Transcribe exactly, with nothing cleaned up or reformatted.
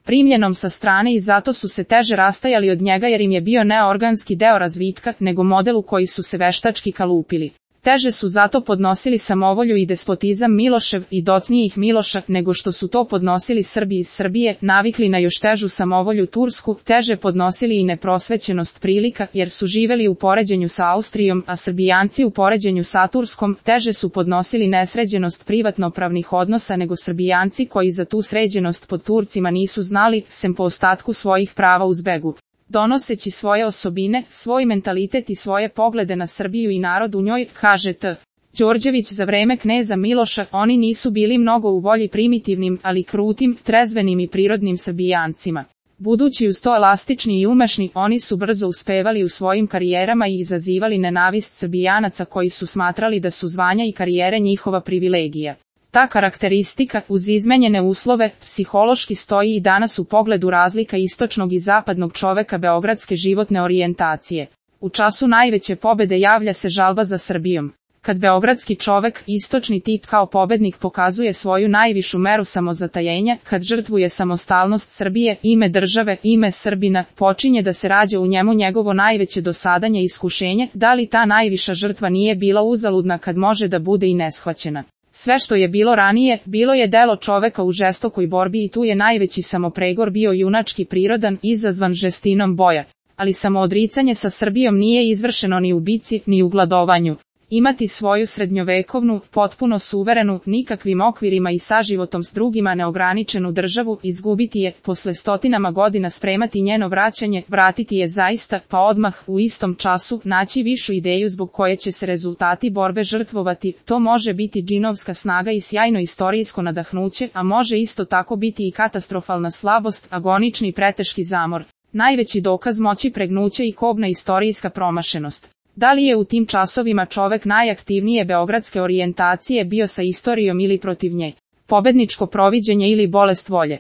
primljenom sa strane i zato su se teže rastajali od njega jer im je bio neorganski deo razvitka nego model u koji su se veštački kalupili. Teže su zato podnosili samovolju i despotizam Milošev i docnijih Miloša nego što su to podnosili Srbi iz Srbije, navikli na još težu samovolju tursku, teže podnosili i neprosvećenost prilika jer su živeli u poređenju sa Austrijom, a Srbijanci u poređenju sa Turskom, teže su podnosili nesređenost privatnopravnih odnosa nego Srbijanci koji za tu sređenost pod Turcima nisu znali, sem po ostatku svojih prava u zbegu. Donoseći svoje osobine, svoj mentalitet i svoje poglede na Srbiju i narod u njoj, kaže T. Đorđević za vreme kneza Miloša, oni nisu bili mnogo u volji primitivnim, ali krutim, trezvenim i prirodnim Srbijancima. Budući uz to elastični i umešni, oni su brzo uspevali u svojim karijerama i izazivali nenavist Srbijanaca koji su smatrali da su zvanja i karijere njihova privilegija. Ta karakteristika, uz izmenjene uslove, psihološki stoji i danas u pogledu razlika istočnog i zapadnog čoveka beogradske životne orijentacije. U času najveće pobede javlja se žalba za Srbijom. Kad beogradski čovek, istočni tip kao pobednik pokazuje svoju najvišu meru samozatajenja, kad žrtvuje samostalnost Srbije, ime države, ime Srbina, počinje da se rađa u njemu njegovo najveće dosadanje i iskušenje, da li ta najviša žrtva nije bila uzaludna kad može da bude i neshvaćena. Sve što je bilo ranije, bilo je delo čoveka u žestokoj borbi i tu je najveći samopregor bio junački prirodan, izazvan žestinom boja. Ali samoodricanje sa Srbijom nije izvršeno ni u bici, ni u gladovanju. Imati svoju srednjovekovnu, potpuno suverenu, nikakvim okvirima i saživotom s drugima neograničenu državu, izgubiti je, posle stotinama godina spremati njeno vraćanje, vratiti je zaista, pa odmah, u istom času, naći višu ideju zbog koje će se rezultati borbe žrtvovati, to može biti džinovska snaga i sjajno istorijsko nadahnuće, a može isto tako biti i katastrofalna slabost, agonični preteški zamor. Najveći dokaz moći pregnuća i kobna istorijska promašenost. Da li je u tim časovima čovek najaktivnije beogradske orijentacije bio sa istorijom ili protiv nje? Pobedničko proviđenje ili bolest volje?